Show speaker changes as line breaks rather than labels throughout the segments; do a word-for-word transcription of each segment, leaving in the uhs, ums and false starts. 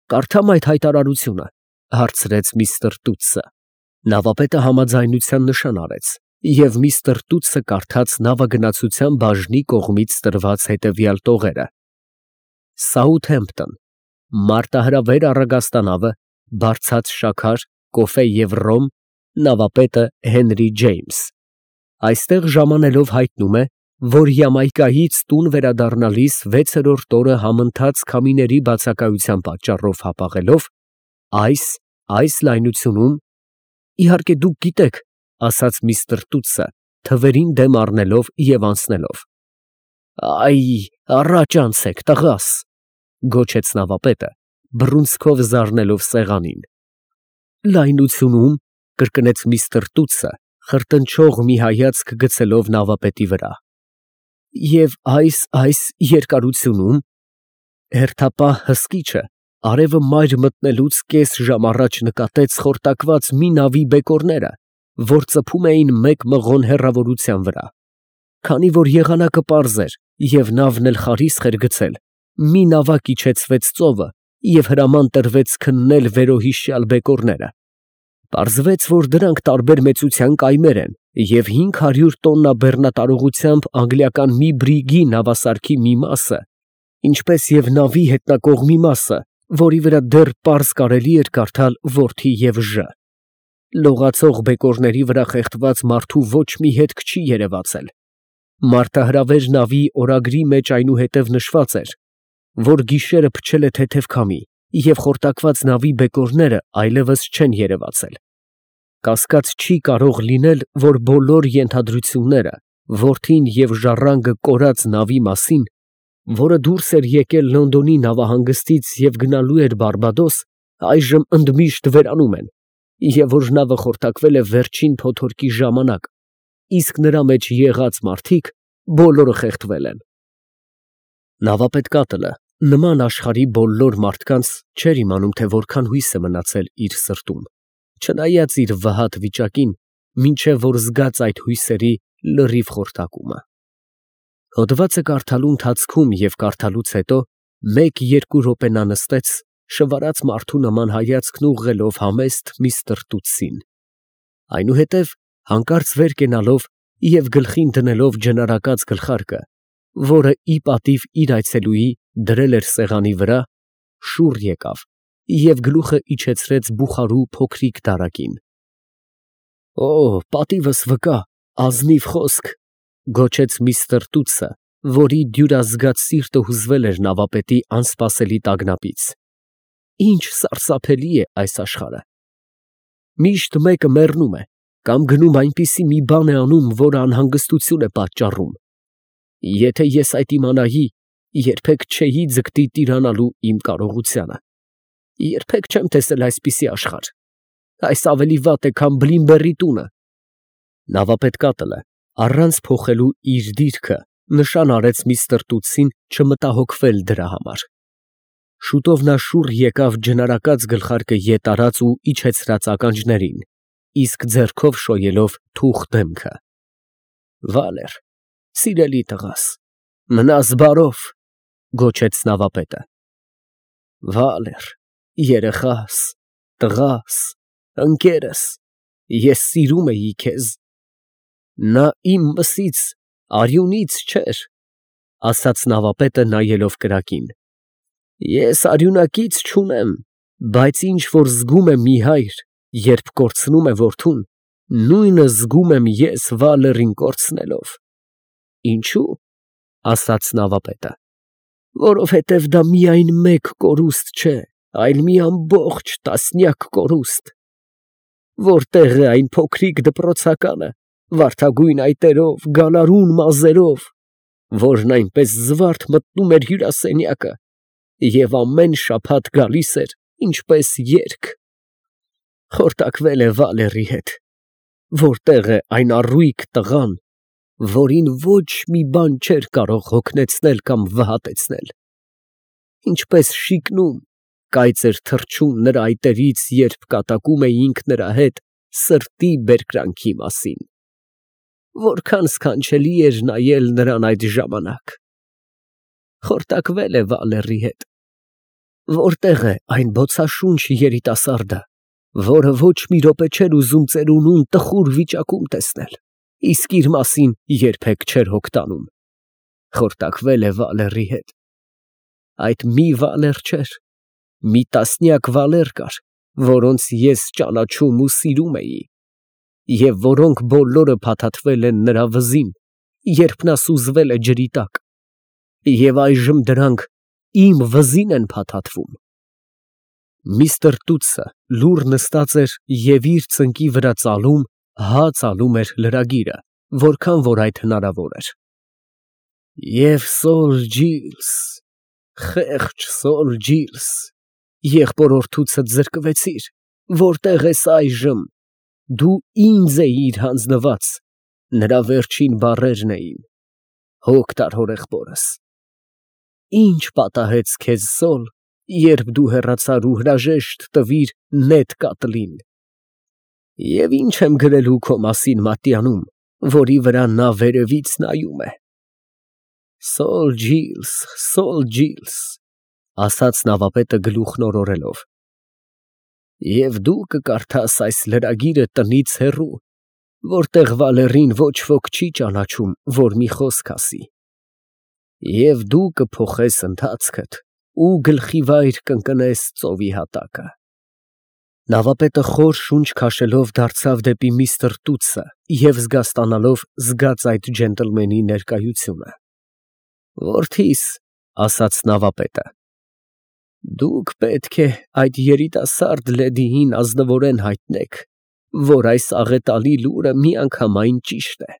Կարդամ այդ հայտարարությունը, հարցրեց միստր Տուտսը։ Նավապետը համաձայնության նշան արեց, և միստր Տուտսը կարդաց նավագնացության բաժնի կողմից տրված հետևյալ տողերը. Սաութհեմփտոն, մարտահրավեր առագաստանավը, բարձած շաքար, կոֆե և ռոմ, նավապետը Հենրի Ջեյմս։ Այստեղ ժամանելով հայտնում է, որ Յամայկայից տուն վերադառնալիս վեցերորդ օրը համընթաց քամիների բացակայության պատճառով հապաղելով, այս, այս լայնությունում, իհարկե դուք գիտեք, ասաց միստր Տուտսը, թվերին դեմ առնելով և անցնելով։ Այ, առաջ անցեք, տղաս, գոչեց նավապետը, բռունցքով զարնելով սեղանին։ Լայնությունում, կրկնեց միստր Տուտսը, խրտնչող մի հայացք գցելով նավապետի վրա։ Եվ այս, այս երկարությունում, հերթապահ հսկիչը արևը մայր մտնելուց կես ժամ առաջ նկատեց խորտակված մի նավի բեկորները, որ ծփում էին մեկ մղոն հեռավորության վրա։ Քանի որ եղանակը պարզ էր և նավն էլ խարիսխ էր գցել, մի նավակ իջեցվեց ծովը և հրաման տրվեց քննել վերոհիշյալ բեկորները։ Պարզվեց, որ դրանք տարբեր մեծության կայմեր են և հինգ հարյուր տոննա բեռնատարողությամբ անգլիական մի բրիգի նավասարքի մի մասը, ինչպես և նավի հետնակողմի մասը, որի վրա դեռ պարզ կարելի էր կարդալ որդի և ժ։ Լողացող բեկորների վրա խեղդված մարդու ոչ մի հետք չի երևացել։ Մարտահրավեր նավի օրագրի մեջ այնուհետև նշված էր, որ գիշերը փչել է թեթև քամի և խորտակված նավի բեկորները այլևս չեն երևացել։ Կասկած չի կարող լինել, որ բոլոր ենթադրությունները որդին և ժառանգը կորած նավի մասին, որը դուրս էր եկել Լոնդոնի նավահանգստից և գնալու էր Բարբադոս, այժմ ընդմիշտ վերանում են, և որ նավը խորտակվել է վերջին փոթորկի ժամանակ, իսկ նրա մեջ եղած մարդիկ բոլորը խեղդվել են։ Նավապետ կատլը նման աշխարհի բոլոր մարդկանց չէր իմանում, թե որքան հույս է մնացել իր սրտում, չնայած իր վհատ վիճակին, մինչև որ զգաց այդ հույսերի լրիվ խորտակումը։ Հոդվածը կարդալու ընթացքում և կարդալուց հետո մեկ֊երկու րոպե նա նստեց, շվարած մարդու նման հայացքն ուղղելով համեստ միստր Տուտսին։ Այնուհետև հանկարծ վեր կենալով և գլխին դնելով ջնարակած գլխարկը, որը ի պատիվ իր այցելուի դրել էր սեղանի վրա, շուռ եկավ և գլուխը իջեցրեց բուխարու փոքրիկ դարակին։ Օ, պատիվս վկա, ազնիվ խոսք, գոչեց միստր Տուտսը, որի դյուրազգաց սիրտը հուզվել էր նավապետի անսպասելի տագնապից։ Ինչ սարսափելի է այս աշխարհը։ Միշտ մեկը մեռնում է կամ գնում այնպիսի մի բան է անում, որը անհանգստություն է պատճառում։ Եթե ես այդ իմանայի, երբեք չէի ձգտի տիրանալու իմ կարողությանը։ Երբեք չեմ տեսել այսպիսի աշխարհ։ Այս ավելի վատ է, քան Բլինբերի տունը։ Նավապետ կատլը, առանց փոխելու իր դիրքը, նշան արեց միստր Տուտսին չմտահոգվել դրա համար։ Շուտով նա շուռ եկավ ջնարակած գլխարկը ետ արած ու իջեցրած ականջներին, իսկ ձեռքով շոյելով թուխ դեմքը։ Վալեր, սիրելի տղաս, մնաս բարով, գոչեց նավապետը։ Վալեր, երեխաս, տղաս, ընկերս, ես սիրում էի քեզ։ Նա իմ մսից, արյունից չէր, ասաց նավապետը նայելով կրակին։ Ես արյունակից չունեմ, բայց ինչ որ զգում է մի հայր, երբ կորցնում է որդուն, նույնը զգում եմ ես Վալերին կորցնելով։ Ինչո՞ւ, ասաց նավապետը։ Որովհետև դա միայն մեկ կորուստ չէ, այլ մի ամբողջ տասնյակ կորուստ։ Որտե՞ղ է այն փոքրիկ դպրոցականը, վարդագույն այտերով, գալարուն մազերով, որն այնպես զվարթ մտնում էր հյուրասենյակը և ամեն շաբաթ գալիս էր, ինչպես երգ։ Խորտակվել է Վալերի հետ։ Որտե՞ղ է այն առույգ տղան, որին ոչ մի բան չէր կարող հոգնեցնել կամ վհատեցնել։ Ինչպես շիկնում, կայծ էր թռչում նրա այտերից, երբ կատակում էինք նրա հետ սրտի բերկրանքի մասին։ Որքան սքանչելի էր նայել նրան այդ ժամանակ։ Խորտակվել է Վալերի հետ։ Որտեղ է այն բոցաշունչ երիտասարդը, որը ոչ մի րոպե չէր ուզում ծերունուն տխուր վիճակում տեսնել, իսկ իր մասին երբեք չէր հոգ տանում։ Խորտակվել է Վալերի հետ։ Այդ մի Վալեր չէր, մի տասնյակ Վալեր կար, որոնց ես ճանաչում ու սիրում էի, և որոնք բոլորը փաթաթվել են նրա վզին, երբ նա սուզվել է ջրի տակ, և այժմ դրանք իմ վզին են փաթաթվում։ Միստր Տուտսը լուռ նստած էր և իր ծնկի վրա ծալում, հա ծալում էր լրագիրը, որքան որ այդ հնարավոր էր։ Եվ Սոլ Ջիլս, խեղճ Սոլ Ջիլս, եղբորորդուցդ զրկվեցիր, որտեղ ես այժմ, դու ինձ էիր հանձնված, նրա վերջին բառերն էին, հոգ տար հորեղբորս։ Ինչ պատահեց քեզ Սոլ, երբ դու հեռացար ու հրաժեշտ տվիր նետ կատլին։ Եվ ինչ եմ գրելու քո մասին Մատյանում, որի վրա նա վերևից նայում է։ Սոլ Ջիլս, Սոլ Ջիլս, ասաց նավապետը գլուխն օրորելով, և դու կկարդաս այս լրագիրը տնից հեռու, որտեղ Վալերին ոչ ոք չի ճանաչում, որ մի խոսք ասի, և դու կփոխես ընթացքդ ու գլխիվայր կընկնես ծովի հատակը։ Նավապետը խոր շունչ քաշելով դարձավ դեպի միստր Տուտսը և զգաստանալով զգաց այդ ջենտլմենի ներկայությունը։ Որդիս, ասաց նավապետը, դուք պետք է այդ երիտասարդ լեդիին ազնվորեն հայտնեք, որ այս աղետալի լուրը միանգամայն ճիշտ է։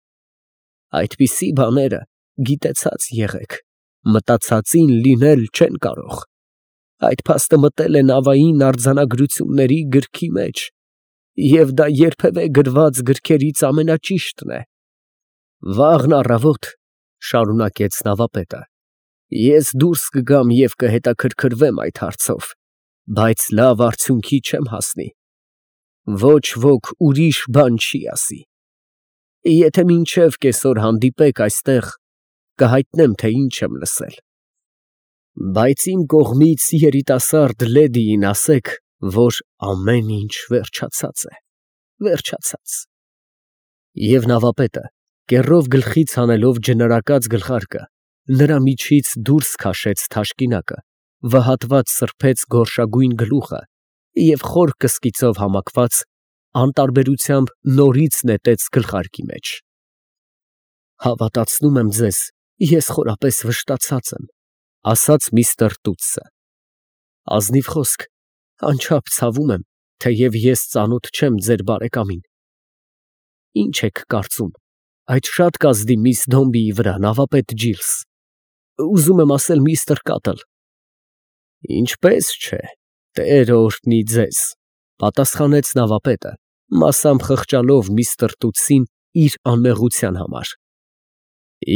Այդպիսի բաները գիտեցած եղեք, մտածածին լինել չեն կարող։ Այդ փաստը մտել է նավային արձանագրությունների գրքի մեջ, և դա երբևէ գրված գրքերից ամենաճիշտն է։ Վաղն առավոտ, շարունակեց նավապետը, ես դուրս կգամ և կհետաքրքրվեմ այդ հարցով, բայց լավ արդյունքի չեմ հասնի։ Ոչ ոք ուրիշ բան չի ասի։ Եթե մինչև կեսօր հանդիպեք այստեղ, կհայտնեմ, թե ինչ եմ լսել։ Բայց իմ կողմից երիտասարդ լեդիին ասեք, որ ամեն ինչ վերջացած է, վերջացած։ Եվ նավապետը, կեռով գլխից հանելով ջնարակած գլխարկը, նրա միջից դուրս քաշեց թաշկինակը, վհատված սրբեց գորշագույն գլուխը և խոր կսկիծով համակված անտարբերությամբ նորից նետեց գլխարկի մեջ։ Հավատացնում եմ ձեզ, ես խորապես վշտացած եմ, ասաց միստր Տուտսը։ Ազնիվ խոսք, անչափ ցավում եմ, թեև ես ծանոթ չեմ ձեր բարեկամին։ Ինչ եք կարծում այդ շատ կազդի միս Դոմբիի վրա, նավապետ Ջիլս, ուզում եմ ասել միստր Կատլ։ Ինչպես չէ, Տերը օրհնի ձեզ, պատասխանեց նավապետը, մասամբ խղճալով միստր Տուտսին իր անմեղության համար։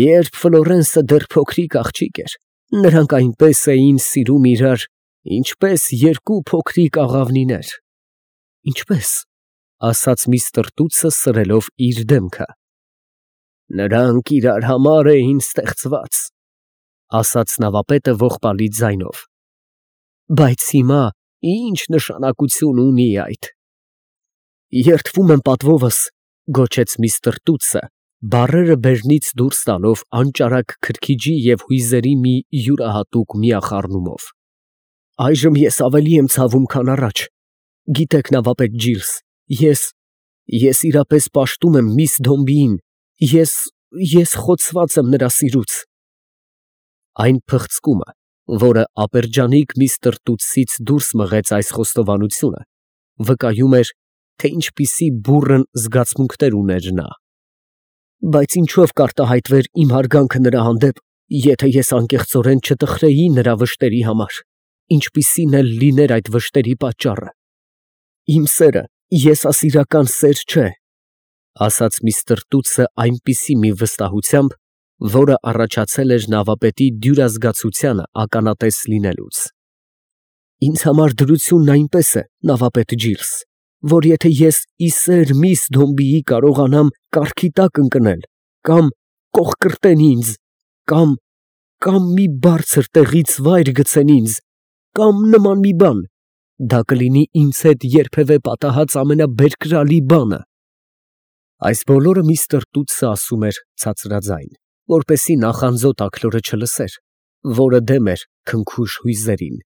Երբ Ֆլորենսը դեռ փոքրիկ աղջիկ էր, նրանք այնպես էին սիրում իրար, ինչպես երկու փոքրիկ աղավնիներ։ Ինչպես, ասաց միստր Տուտսը սրելով իր դեմքը։ Նրանք իրար համար էին ստեղծված, ասաց նավապետը ողբալի ձայնով։ Բայց հիմա ինչ նշանակություն ունի այդ։ Երդվում եմ պատվովս, գոչեց միստր Տուտսը, բառերը բերնից դուրս տալով անճարակ քրքիջի և հույզերի մի յուրահատուկ միախառնումով։ Այժմ ես ավելի եմ ցավում, քան առաջ։ Գիտեք, նավապետ Ջիլս, ես, ես իրապես պաշտում եմ միս Դոմբիին, ես, ես խոցված եմ նրա սիրուց։ Այն փղծկումը, որը ապերջանիկ միստր Տուտսից դուրս մղեց այս խոստովանությունը, վկայում էր, թե ինչպիսի բուռն զգացմունքներ ուներ նա։ Բայց ինչով կարտահայտվեր իմ հարգանքը նրա հանդեպ, եթե ես անկեղծորեն չտխրեի նրա վշտերի համար, ինչպիսին էլ լիներ այդ վշտերի պատճառը։ Իմ սերը եսասիրական սեր չէ, ասաց միստր Տուտսը այնպիսի մի վստահությամբ, որը առաջացել էր նավապետի դյուրազգացությանը ականատես լինելուց։ Ինձ համար դրությունն այնպես է, նավապետ Ջիլս, որ եթե ես ի սեր միս Դոմբիի կարողանամ կառքի տակ ընկնել, կամ կոխկրտեն ինձ, կամ, կամ մի բարձր տեղից վայր գցեն ինձ, կամ նման մի բան, դա կլինի ինձ հետ երբևէ պատահած ամենաբերկրալի բանը։ Այս բոլորը միստր Տուտսը ասում էր ցածրաձայն, որպեսզի նախանձոտ աքլորը չլսեր, որը դեմ էր քնքուշ հույզերին,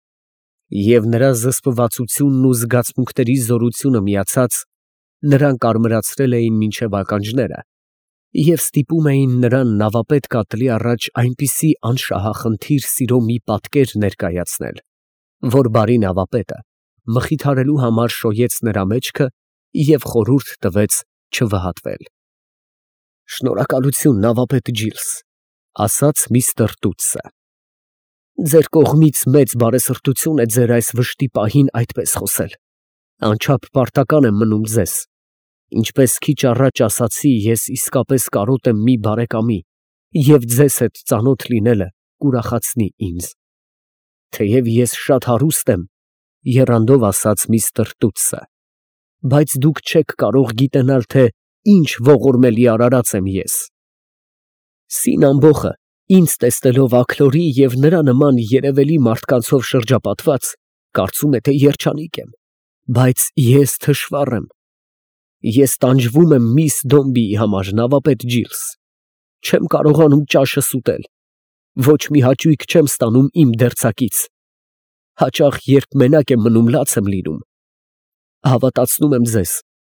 և նրա զսպվածությունն ու զգացմունքների զորությունը միացած նրան կարմրացրել էին մինչև ականջները և ստիպում էին նրան նավապետ կատլի առաջ այնպիսի անշահախնդիր սիրո մի պատկեր ներկայացնել, որ բարի նավապետը մխիթարելու համար շոյեց նրա մեջքը և խորհուրդ տվեց չվհատվել։ «Շնորհակալություն, նավապետ Ջիլս, ֊ ասաց միստր Տուտսը, ֊ ձեր կողմից մեծ բարեսրտություն է ձեր այս վշտի պահին այդպես խոսել, անչափ պարտական եմ մնում ձեզ։ Ինչպես քիչ առաջ ասացի, ես իսկապես կարոտ եմ մի բարեկամի, և ձեզ հետ ծանոթ լինելը կուրախացնի ինձ։ Թեև ես շատ հարուստ եմ, ֊ եռանդով ասաց միստր Տուտսը, ֊ բայց դուք չեք կարող գիտենալ, թե ինչ ողորմելի արարած եմ ես։ Սին ամբոխը ինձ տեսնելով աքլորի և նրա նման երևելի մարդկանցով շրջապատված, կարծում է, թե երջանիկ եմ, բայց ես թշվառ եմ։ Ես տանջվում եմ միս Դոմբիի համար, նավապետ Ջիլս, չեմ կարողանում ճաշս ուտել, ոչ մի հաճույք չեմ ստանում իմ դերձակից, հաճախ երբ մենակ եմ մնում, լաց եմ լինում։ Հավատացնում եմ ձեզ,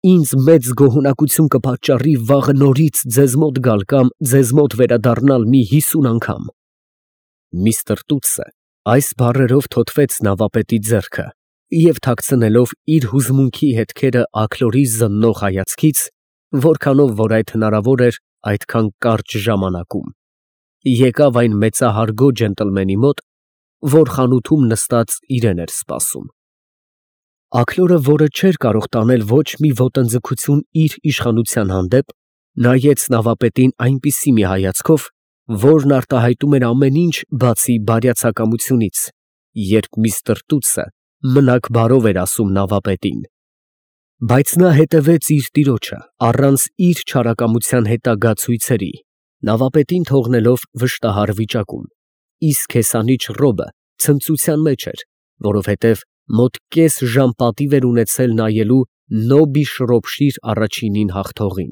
ինձ մեծ գոհունակություն կպատճառի վաղը նորից ձեզ մոտ գալ կամ ձեզ մոտ վերադառնալ մի հիսուն անգամ։ Միստր Տուտսը այս բառերով թոթվեց նավապետի ձեռքը և թաքցնելով իր հուզմունքի հետքերը աքլորի զննող հայացքից, որքանով որ այդ հնարավոր էր այդքան կարճ ժամանակում, եկավ այն մեծահարգո ջենտլմենի մոտ, որ խանութում նստած իրեն էր սպասում։ Աքլորը, որը չէր կարող տանել ոչ մի ոտնձգություն իր իշխանության հանդեպ, նայեց նավապետին այնպիսի մի հայացքով, որն արտահայտում էր ամեն ինչ, բացի բարյացակամությունից, երբ միստր Տուտսը մնաք բարով էր ասում նավապետին։ Բայց նա հետևեց իր տիրոջը, առանց իր չարակամության հետագա ցույցերի, նավապետին թողնելով վշտահար վիճակում, իսկ հեսանիչ Ռոբը ցնծության մեջ էր, որովհետև մոտ կես ժամ պատիվ էր ունեցել նայելու Նոբի Շրոփշիր առաջինին հաղթողին։